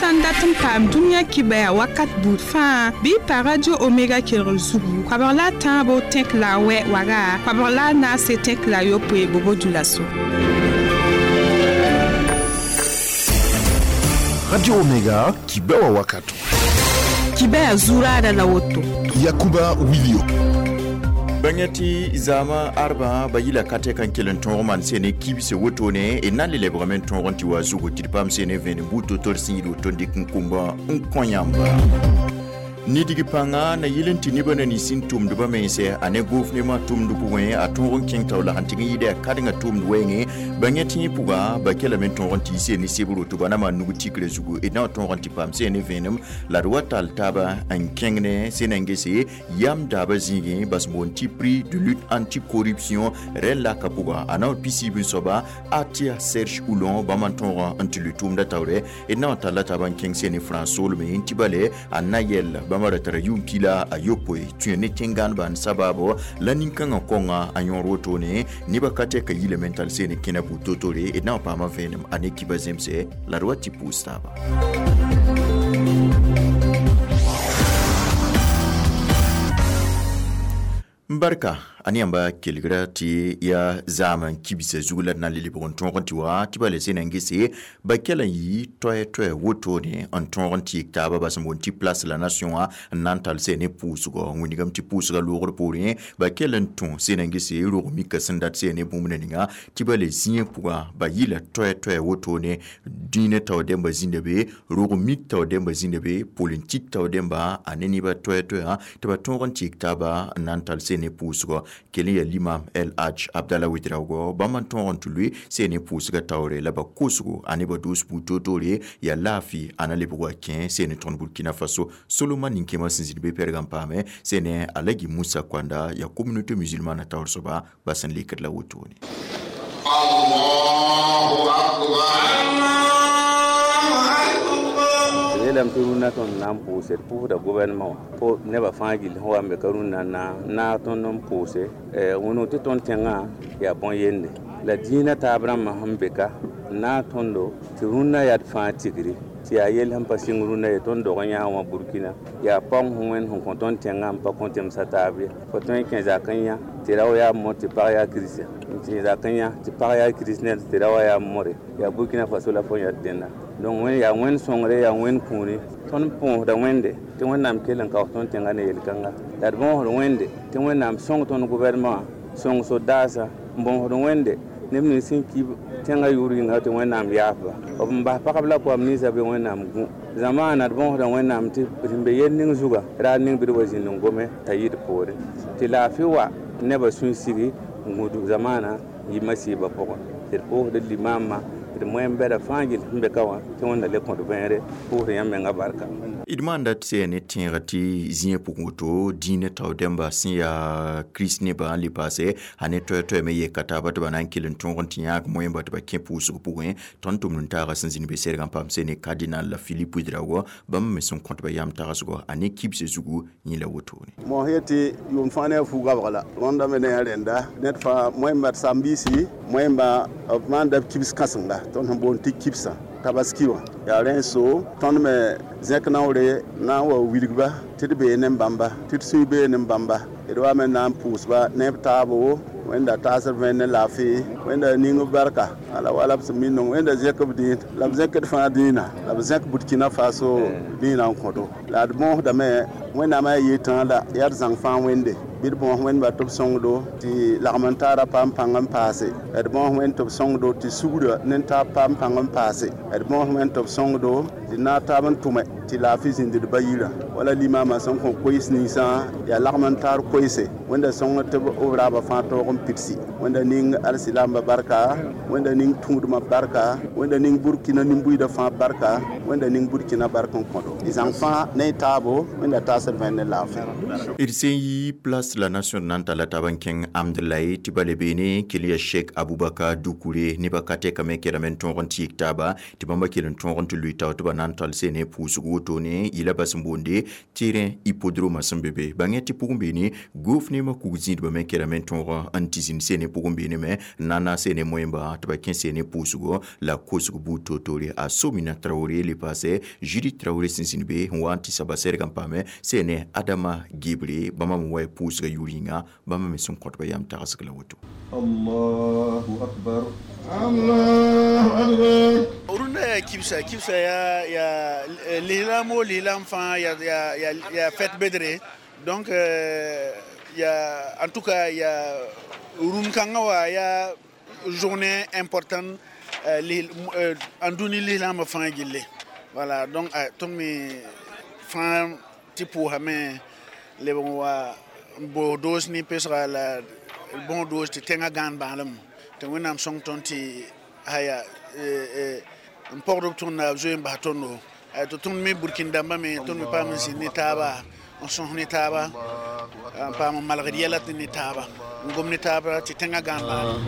Sã n dat n paam dũniyã kibɛa wakat buud fãa bɩ y pa Radio Omega kelgr zugu koabg la a tãabo tẽk la a wɛ waga koabg la a naase tẽk la a yopoe bobo dulaso. Radio Omega kibɛwa wakato. Kibɛa zuraada la woto. Yakuba Wilio. Bãnga tɩ zaamã arbã ba yɩla ka tɛk n kell n tõog maan sene kibse wotone d na n le lebgame n tõog n tɩ wa zugu tɩ d paam sene vẽenem buud to-to d sẽn yɩl woto n dɩk n kũmbã n kõ yãmba. Nidg pãnga na yɩl n tɩ nebã na nins n tʋmdbã mense a ne gʋfnemã tʋmd pʋgẽ a tõog n kẽng taoor la sẽn tɩg n yɩɩda yaa kãdengã tʋmd wɛɛngẽ bãnga tẽeg pʋga ba kelame n tõog n tɩ yɩ ne sebr woto ba na maan nug tikrã zugu d na n tõog n tɩ paam seen ne vẽenem la d wa tall taaba n kẽng ne sẽn na n gese yam daabã zĩigẽ bas boond tɩ prix de lutte anti-corruption rẽn laka pʋga a na n pisiib n soaba Atia Serge Oulon bãmb n tõog n tɩ lʋɩ tʋʋmdã taoore d na n talla taaba n kẽng seen ne France soolme n tɩ bale a na yɛl bãmba ra tara yʋʋm pila a yopoe tũ ne tẽn-gãaneba n sabaabo la nin-kãngã kõnga a yõor wotone nebã ka tɛka yilame n tall seen kẽna buud to-tore d na n paama vẽenem a ne kiba zemse la d wa tɩ pʋʋs taaba. Barka a ne yãmba kelgra tɩ yaa zaam n kibsa zug la d na n le lebg n tõog n tɩ wa tɩ ba le sẽn na n gese ba kell n yɩ toɛ-toɛ wotone n tõog n tɩ yik taaba bas n boond tɩ Place la Nation wã n na n tall sẽn ne pʋʋsgɔ wĩnigame tɩ pʋʋsga loogr poorẽ ba kell n tũ sẽn na n gese rog mika sẽn dat sẽn ne bũmb ninga tɩ ba le zĩig pʋga ba yɩla toɛ-toɛ wotone dĩinã tao dẽmba zĩnda be rog mik tao dẽmba zĩnda be politik tao dẽmba a ne nebã toɛ-toɛã tɩ ba tõog n tɩ yik taaba n na n tall sẽn ne pʋʋsgɔ kell n yaa limam El Hadj Abdallah Ouedraogo bãmb n tõog n tɩ lʋɩ sẽn ne pʋʋsga taoore la ba kosgo a ne ba doos buud toor-toore yaa laafɩ a na lebg wa kẽ sẽn ne tõnd Burkina Faso Soloma nin-kẽemã sẽn zĩnd be pɛrg n paame sẽn ne Alagi Moussa Kwanda yaa communauté musulmane taoor soaba ba sẽn lekd la wotone. Allahu akbar. Yeelame tɩ rũnnã tõnd na n pʋʋse d pʋʋsda gouvernement wã fo nebã fãa gill sẽn wa n be ka rũnnã na naag tõnd n pʋʋse wẽneg tɩ tõnd tẽngã yaa bõn-yende la dĩinã taab rãmbã sẽn be ka n naag tõndo tɩ rũnnã yaa d fãa tigri tɩ yaa yell sẽn pa sɩng rũnnã ye tõnd dog n yãag wã Burkina yaa paoong sẽn wẽnd sẽn kõ tõnd tẽngã n pa kõ tẽmsã taab ye fo tõe n kẽ zak n yã tɩ rao yaa mor tɩ pag yaa kiristã n tẽ zak n yã tɩ pag yaa kiristnɛd tɩ rao yaa more yaa Burkina Faso la fo yãd dẽnda donc wẽnd yaa wẽnd sõngre yaa wẽnd kũuni tõnd põosda wẽnde tɩ Wẽnnaam kell n kaoos tõnd tẽngã ne yel-kãnga la d bõosd wẽnde tɩ Wẽnnaam sõng tõnd gouvernement sõng sodaasã n bõosd wẽnde neb nins sẽn ki tẽngã yʋʋr yĩnga tɩ Wẽnnaam yaafba b n bas pagb la koam ninsã bɩ Wẽnnaam gũ zamaana d bõosda Wẽnnaam tɩ sẽn be yel ning zuga raar ning bɩ d wa zĩnd n gome t'a yɩ d poore tɩ laafɩ wa nebã sũ-sigi n gũudg zamaana n yɩ masiibã pʋgẽ tɩ d pʋʋsd limaamã d moyen-bɛda fãa gill sẽn be ka wã tɩ Wẽnda le kõt vẽere pʋʋsd yãmb menga barka. D maanda tɩ sẽn ne tẽega tɩ zĩigã pʋgẽ woto dĩinã tao dẽmba sẽn yaa kirist nebã n le paase a ne toɛ-toɛ me yeka taaba tɩ ba na n kell n tõog n tɩ yãag moẽmba tɩ ba kẽ pʋʋsg pʋgẽ tõnd tʋmd n taaga sẽn zĩnd be sɛrg n paam sẽn ne cardinal la Philippe Ouedraogo bãmb me sẽn kõt ba yam tagsgɔ a ne kibsã zugu yẽ la wotone. Mos yetɩ yʋʋm fãa ne a fu-gabg la rõndame ne a rẽnda ned fãa moẽmba d sambiisi moẽmba b maanda b kibs kãsenga tõnd sẽn boond tɩ kibsã tabaski wã yaa rẽ so tõnd me zẽk naoore na n wa wilgba tɩ d bee ne bãmba tɩ d sũy bee ne bãmba d wa me na n pʋʋsba ne b taabo Wẽnda taasd vẽen ne laafɩ Wẽnda ning b barka ala wala b sẽn mi nong Wẽnda zẽk b dĩin la b zẽkd fãa dĩinã la b zẽk Burkina Faso dĩinã n kõdo la d bõosdame Wẽnnaam a yetã la yaa d zãng fãa wẽnde bɩ d bõos wẽndba tɩ b sõngdo tɩ lagm n taara paam pãng n paase d bõos wẽnd tɩ b sõngdo tɩ sugrã ne taab paam pãng n paase d bõos wẽnd tɩ b sõngdo tɩ naag taab n tʋme tɩ laafɩ zĩnd d ba yirã wala limaamã sẽn kõ koees ninsã yaa lagm n taar koeese Wẽnda sõng tɩ b raabã fãa taoog n pidsi Wẽnda ning alsilaambã barka Wẽnda ning tũudmã barka Wẽnda ning Burkina nin-buiidã fãa barka Wẽnda ning Burkina bark n kõdo d zãng fãa ne y taabo Wẽnda taasd vẽen ne laafɩ. D sẽn yi Place Place de la Nation nan tala taban kẽng Amdalaye tɩ ba le beene kell ya Sheikh Abubakar Dukure nebã ka tɛkame kɛdame n tõog n tɩɩg taaba tɩ bãmba kell n tõog n tɩ lʋɩ tao tɩ ba na n tall sene pʋʋsg wotone yɩla bas n boonde terrain hippodrome sẽn be be. Bãng tɩ pʋgẽ beene gofnema kug zĩidbã me kɛdame n tõog n tɩ zĩnd sene pʋgẽ beene me n na n naas sene moẽmba tɩ ba kẽ sene pʋʋsgo la kosg buud toor-toore. A Somina Traoré le paase Judith Traoré sẽn zĩnd be n wa n tɩ saba sɛrg n paame sene Adama Gebre bãmba me wa pʋʋsga yʋr yĩnga bãmba me sẽn kõt ba yam tagsg la woto. Allahu akbar. Allahu akbar. Rũndã yaa kibsa kibsa yaa lislaam o lislaam fãa yaa fête bedre, donc yaa en tout cas yaa rũnd kãngã wa yaa journée importante en dũni lislaambã fãa gilli. Voilà, donc tõnd me fãa tɩ pʋʋsame leb n wa n boos doos ne pesga la bõog doos tɩ tẽngã gãan bãalem tɩ Wẽnnaam sõng tõnd tɩ aya n pɔgd b tõnd b zoe n bas tõndo tɩ tõnd me Burkin dãmbã me tõnd me paam n zĩnd ne taaba n sõs ne taaba n paam n malgd yɛla tɩ ne taaba n gom ne taaba tɩ tẽngã gãan bãalem.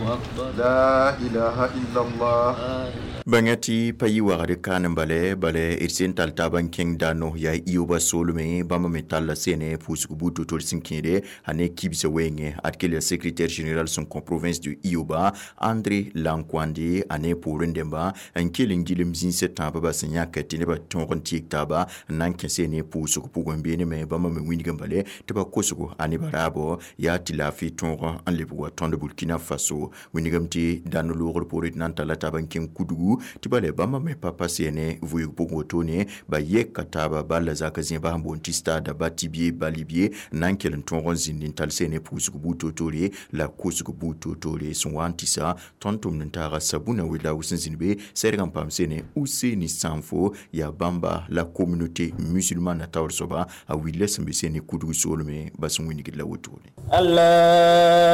La ilaha illallah. Bãnga tɩ pa yɩ wagd kaan n bale bale d sẽn tall taab n kẽng dano yaa ioba soolme bãmba me talla sene pʋʋsg buud to-tor sẽn kẽede a ne kibsã wɛɛngẽ ad kell yaa secrétaire général sẽn kõ province de Ioba André Lankwande a ne poorẽ dẽmba n kell n gilem zĩnsã tãabã ba sẽn yãk tɩ nebã tõog n tɩɩg taaba n na n kẽ sene pʋʋsg pʋgẽ beene me bãmba me wĩndg n bale tɩ ba kosgo a nebã raabo yaa tɩ laafɩ tõog n lebg wa tõnd Burkina Faso. Wĩndgame tɩ dãnd loogr poorẽ tɩ na n talla taab n kẽng kudgu tɩ ba le bãmba me pa pa sene vʋɩg pʋgẽ wotone ba yeka taaba balla zak zẽba sẽn boond tɩ stade Batibie Balibie n na n kell n tõog n zĩnd n tall sene pʋʋsg buud toor-toore la kosg buud toor-toore sẽn wa n tɩsa tõnd tʋmd n taaga Sabuna Wedraogo sẽn zĩnd be sɛrg n paam sene Useni Sanfo yaa bãmba la communauté musulmane taoor soaba a willa sẽn be sene kudg soolme ba sẽn wĩndgd la wotone. Allahu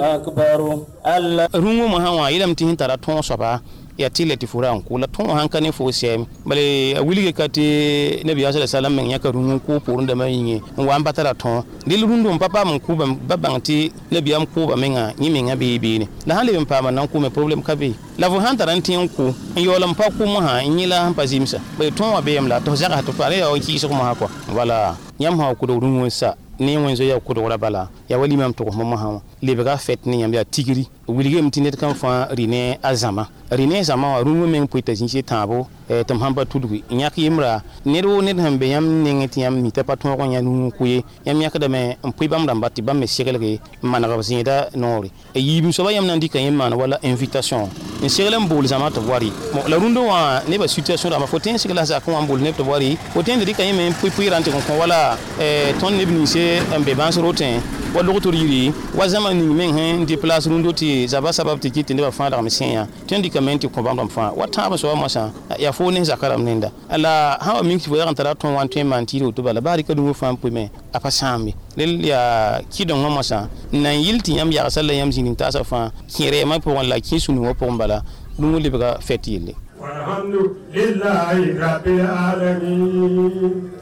akbar. Allah rũngã mosã wã yeelame tɩ sẽn tara tõog soaba ya tɩ tɩ fo ra n kʋ la tõog sãn ka ne fo sɛɛm bale a wilge ka tɩ nabiyaam sala salam meng yãka rũng n kʋʋ poorẽ dãmbã yĩnge n wa n pa tara tõog dɩl rũndã n pa paam n kʋ ba bãng tɩ nabiyaam kʋʋba menga yẽ menga bee beene la sãn leb n paama na n kʋʋme problème ka be la fo sãn tara n tẽ n kʋ n yaool n pa kʋ mosã n yẽla sẽn pa zɩmsa bale tõog wã beem la tɩ f zagsa tɩ pa yaa n kɩɩsg mosã kɔa wala yãmb sã wa kʋdg rũng n sa ne wẽn zoe yaa kʋdgra bala yaa wa limam togsmã mosã wã lebga fɛt ne yãmb yaa tigri wilgame tɩ ned kam fãa rɩ ne a zãma rɩ ne zãma wã rũngã meng pʋɩ t'a zĩis tãabo tɩ m sãn pa tudgi n yãk yembra ned woo ned sẽn be yãmb nengẽ tɩ yãmb mi t'a pa tõog n yã rũng kʋ ye yãmb yãkdame n pʋɩ bãmb rãmba tɩ bãmb me seglge n maneg b zẽeda noore yiibem soaba yãmb na n dɩka yẽ maan wala invitation n segl n bool zãma tɩ b wa rɩ la rũndã wã nebã situation rãmba fo tõe n segla zakẽ wã n bool neb tɩ b wa rɩ fo tõe n dɩka yẽ me n pʋɩ pʋɩɩrã n tɩ n kõ wala tõnd neb ninse n be bãns rotẽ wa logtr yiri wa zãma ning meng sẽn déplace rũndã tɩ zaba sabab tɩ kɩt tɩ nebã fãa dagme sẽn yã tõe n dɩkame n tɩ kõ bãmb rãmb fãa wa tãab soaba moasã yaa fo ne zaka rãmb nenda la sã wa mik tɩ fo yag n tara tõog wã n tõe n maan tɩɩr woto bala baa rɩka rũngã fãa n pʋɩme a pa sãambe rel yaa kɩdengã moasã n na n yɩl tɩ yãmb yagsã la yãmb zĩnig taasã fãa kẽ rɛɛmã pʋgẽ la kẽ sũ-nungã pʋgẽ bala rũngã lebga fɛt yelle. Walhamdulillahi rabbil alamin.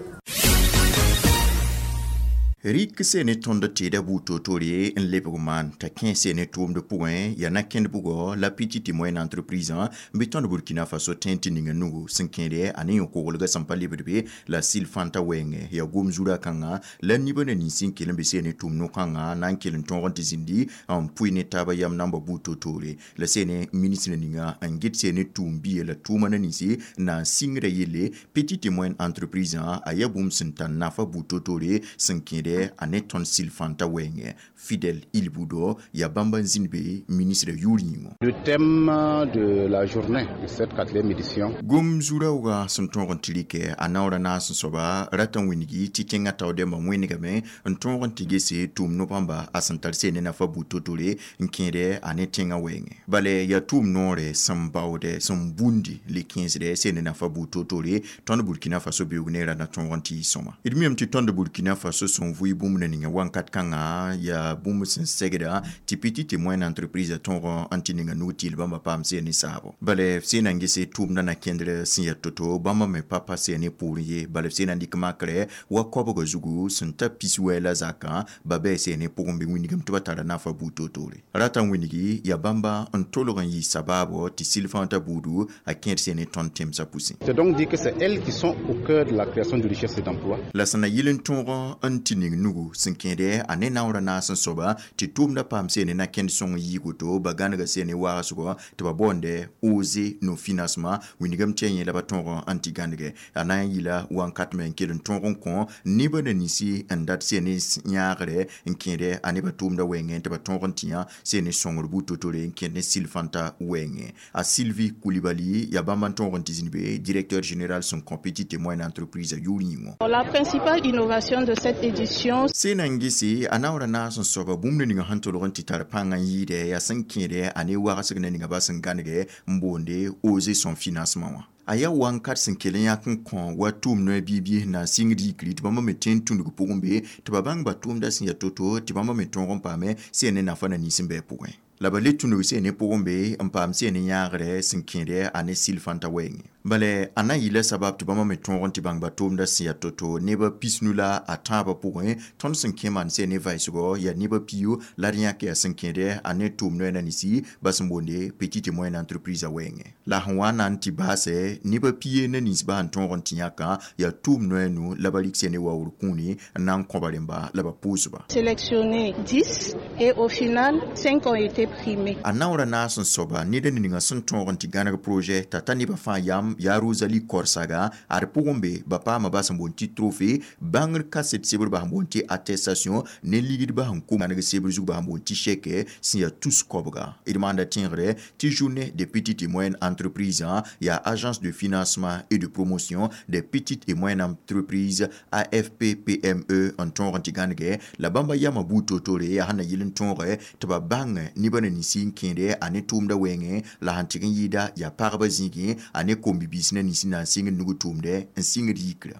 Rɩk sene tõnd tɩɩda buud toor-toore n lebg maan t'a kẽ sene tʋʋmd pʋgẽ yaa na kẽnd bugɔ la petite et moyenne entreprise n bɩ tõnd Burkina Faso tẽ tɩ ninga nugu sẽn kẽede a ne yõ-koglgã sẽn pa lebd be la sɩl fãnta wɛɛngẽ yaa gom zurã kãngã la nibã na nins n kell n be sene tʋʋm no-kãngã na n kell n tõog n tɩ zĩndi n pʋɩ ne taabã yam namba buud toor-toore la sene ministre ninga n get sene tʋʋm biye la tʋʋma na ninsi na n sɩngrã yelle petite et moyenne entreprise a yaa bũmb sẽn tar nafa buud toor-toore sẽn kẽede a ne tõnd sɩl fãnta wɛɛngẽ Fidèle Ilboudo yaa bãmb n zĩnd be ministre yʋʋr yĩngo. Le thème de la journée de cette quatrième édition. Gom zuraoogã sẽn tõog n tɩ rɩkɛ a naoora naas n soaba rat n wĩngi tɩ tẽngã tao dẽmbã wẽnegame n tõog n tɩ gese tʋʋm no-bãmba a sẽn tar sene nafa buud to-tore n kẽede a ne tẽngã wɛɛngẽ bala yaa tʋʋm noore sẽn baoodɛ sẽn bũndi le kẽesdɛ sene nafa buud to-tore tõnd Burkina Faso beoog ne ra na tõog n tɩ yɩ sõma d miame tɩ tõnd Burkina Faso sẽn vʋɩ bũmb na ninga wãnkat kãngã yaa bũmb sẽn segda tɩ petite et moyenne entreprise tõog n tɩ ninga nug tɩ bãmba paam sẽn ne saabo. Bala f sẽn na n gese tʋʋmdã na kẽndr sẽn yaa to-to bãmba me pa pa sẽn ne pʋʋr ye. Bala f sẽn na n dɩk makrɛ wa koabgã zugu sẽn ta pis wɛ la zakã ba bɩ sẽn ne pʋgẽ bɩ wĩnigame tɩ ba tara nafa buud toor-toore. Rata n wĩnigi yaa bãmba n tolg n yɩ sabaabo tɩ sɩlfãta buudu a kẽed sẽn ne tõnd tẽmsã pʋsẽ. C'est donc dire que c'est elles qui sont au cœur de la création de richesse et d'emploi. La sẽn na yɩl n tõog n tɩ ning nugu sẽn kẽede a ne naoorã naas n soaba tɩ tʋʋmdã paam sẽn ne na kẽnd sõng n yiig woto ba gãnega sẽn ne waasgɔ tɩ ba boonde oser nos financements wĩnigame tɩ a yẽ la ba tõog n tɩ gãnege a na n yɩla wãnkat me n kell n tõog n kõ nebã na ninsi n dat sẽn ne yãagre n kẽede a nebã tʋʋmdã wɛɛngẽ tɩ ba tõog n tɩ yã sẽn ne sõngr buud to-tore n kẽed ne sɩl-fãnta wɛɛngẽ. A Sylvie Coulibaly yaa bãmb n tõog n tɩ zĩnd be directeur général sẽn kõ petite et moyenne entreprise yʋʋr yĩngõ. La principale innovation de cette édition sẽn na n gese a naoorã naas n soaba bũmb na ninga sẽn tolg n tɩ tar pãng n yɩɩdɛ yaa sẽn kẽede a ne wagsg na ninga ba sẽn gãnege n boonde oser son financement wã. A yaa wãnkat sẽn kell n yãk n kõ wa tʋʋm noɛ biib-biis na n sɩngd yikri tɩ bãmba me tõe n tũnug pʋgẽ be tɩ ba bãng ba tʋʋmda sẽn yaa to-to tɩ bãmba me tõog n paame sẽn ne nafa na nins n bɩ pʋgẽ. La ba le tũnug sẽn ne pʋgẽ be n paam sẽn ne yãagre sẽn kẽede a ne sɩl-fãnta wɛɛngẽ. Bala a na n yɩla sabab tɩ bãmba me tõog n tɩ bãng ba tʋʋmdã sẽn yaa to-to nebã pisnu la a tãabã pʋgẽ tõnd sẽn kẽ maan sẽn ne vaɩsgɔ yaa nebã piyo la d yãk yaa sẽn kẽede a ne tʋʋm noɛ na ninsi ba sẽn boonde petite et moyenne entreprise a wɛɛngẽ. La sẽn wa na n tɩ baasɛ nebã pie na ninsbã sẽn tõog n tɩ yãkã yaa tʋʋm noɛ nu la ba rɩk sẽn ne waoor kũuni n na n kõ ba rẽmba la ba pʋʋsba. Sélectionné 10 et au final 5 ont été primés. A naoorã naas n soaba ned n ninga sẽn tõog n tɩ gãneg projet t'a ta nebã fãa yam yaa Rosalie Korsaga ad pʋgẽ be ba paama ba sẽn boond tɩ trophée bãngr kaset sebr ba sẽn boond tɩ attestation ne ligd ba sẽn ko gãneg sebr zug ba sẽn boond tɩ chèque sẽn yaa tus koabga. D maanda tẽegre tɩ journée des petites et moyennes entreprises yaa agence de financement et de promotion des petites et moyennes entreprises AFP-PME n tõog n tɩ gãnege la bãmba yama buud to-tore yaa sẽn na yɩl n tõoge tɩ ba bãng nebã na ninsi n kẽede a ne tʋʋmdã wɛɛngẽ la sẽn tɩg n yɩɩda yaa pagba zĩigẽ a ne kom-bibiis na ninsi na n sɩngd nug tʋʋmdɛ n sɩngd yikrã.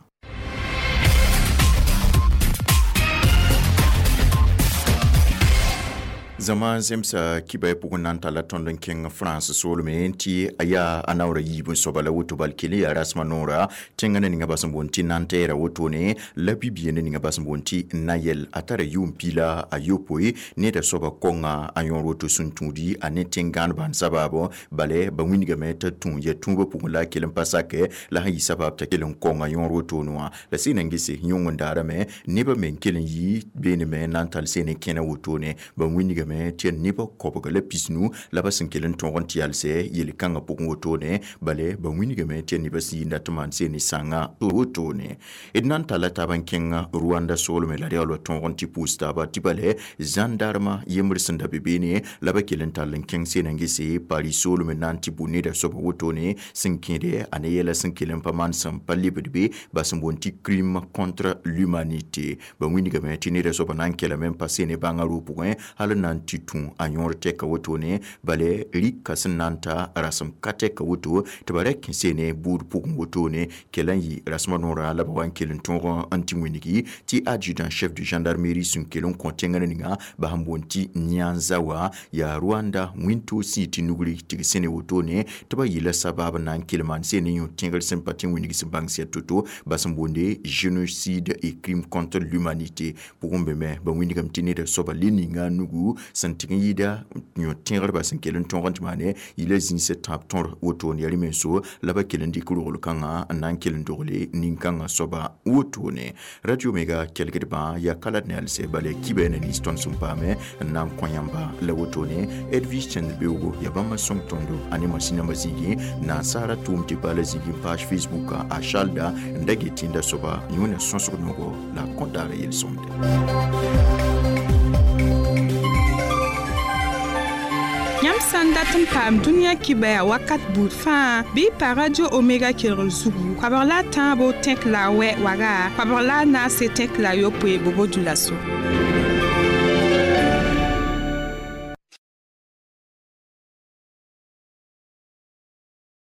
Zãma zemsa kibã pʋgẽ na n talla tõnd n kẽng France soolme tɩ a yaa a naoorã yiib n soaba la woto bal kell yaa rasmã noora tẽngã na ninga ba sẽn boond tɩ Nanterre wotone la bi-bia na ninga ba sẽn boond tɩ Nayel a tara yʋʋm piila a yopoe neda soaba kõnga a yõor woto sẽn tũudi a ne tẽn-gãanebã n sabaabo bala ba wĩnigame t'a tũ ya tũubã pʋgẽ la a kell n pa sakɛ la sẽn yɩ sabab t'a kell n kõnga yõor wotone wã la sẽn na n gese yõng n daarame nebã me n kell n yɩ beename na n tall sẽn ne kẽna wotone ba wĩnigame tɩ nebã koabga la pisnu la ba sẽn kell n tõog n tɩ yalsɛ yel-kãngã pʋgẽ wotone bala ba wĩnigame tɩ nebã sẽn yɩnda tɩ maan sẽn ne sãnga wotone. D na n talla taab n kẽng Rwanda soolme la reool wa tõog n tɩ pʋʋs taaba tɩ bala zãndarmã yembr sẽn da be beene la ba kell n tall n kẽng sẽn na n gese Paris soolme na n tɩ bʋ neda soaba wotone sẽn kẽede a ne yɛla sẽn kell n pa maan sẽn pa lebd be ba sẽn boond tɩ crime contre l'humanité. Ba wĩnigame tɩ neda soaba na n kelame n pa sẽn ne bãngã roo pʋgẽ hal n na n tɩ tũ a yõor tɛka wotone bala rɩka sẽn na n ta rasem ka tɛka woto tɩ ba ra kẽ sene buud pʋgẽ wotone kell n yɩ rasmã noorã la ba wa n kell n tõog n tɩ wĩnigi tɩ adjudant chef de gendarmerie sẽn kell n kõ tẽngã ninga ba sẽn boond tɩ Nyanza wa yaa Rwanda wĩntoog sĩ tɩ nugri tɩ g sẽne wotone tɩ ba yɩla sabab na n kell maan sene yõ tẽgr sẽn pa tɩ wĩnig sẽn bãng sɛ to-to ba sẽn boonde génocide et crime contre l'humanité pʋgẽ be me ba wĩnigame tɩ neda soaba le ninga nugu sẽn tɩg n yɩɩda yõ tẽgr ba sẽn kell n tõog n tɩ maane yɩla zĩisã tãab tõr wotone yaa rẽ-menso la ba kell n dɩk rogl kãngã n na n kell n dogle nin-kãngã soaba wotone. Radio Omega kelgdbã yaa ka la d ne yalsɛ bala kibã na nins tõnd sẽn paame n na n kõ yãmba la wotone. Edwige Chendbeoogo yaa bãmb n sõng tõndo a ne masĩnãmbã zĩigẽ nansara tʋʋm tɩ paala zĩigẽ page Facebook a Chalda n da get tẽnda soaba yõna sõsg nogo la a kõt daara yel-sõmde. Yãmb sã n dat n paam dũniyã kibã wakat buud fãa bɩ pa Radio Omega kelgr zugu koabg la a tãabo tẽk la a wɛ waga koabg la a naase tẽk la a yopoe bobo dũlaso.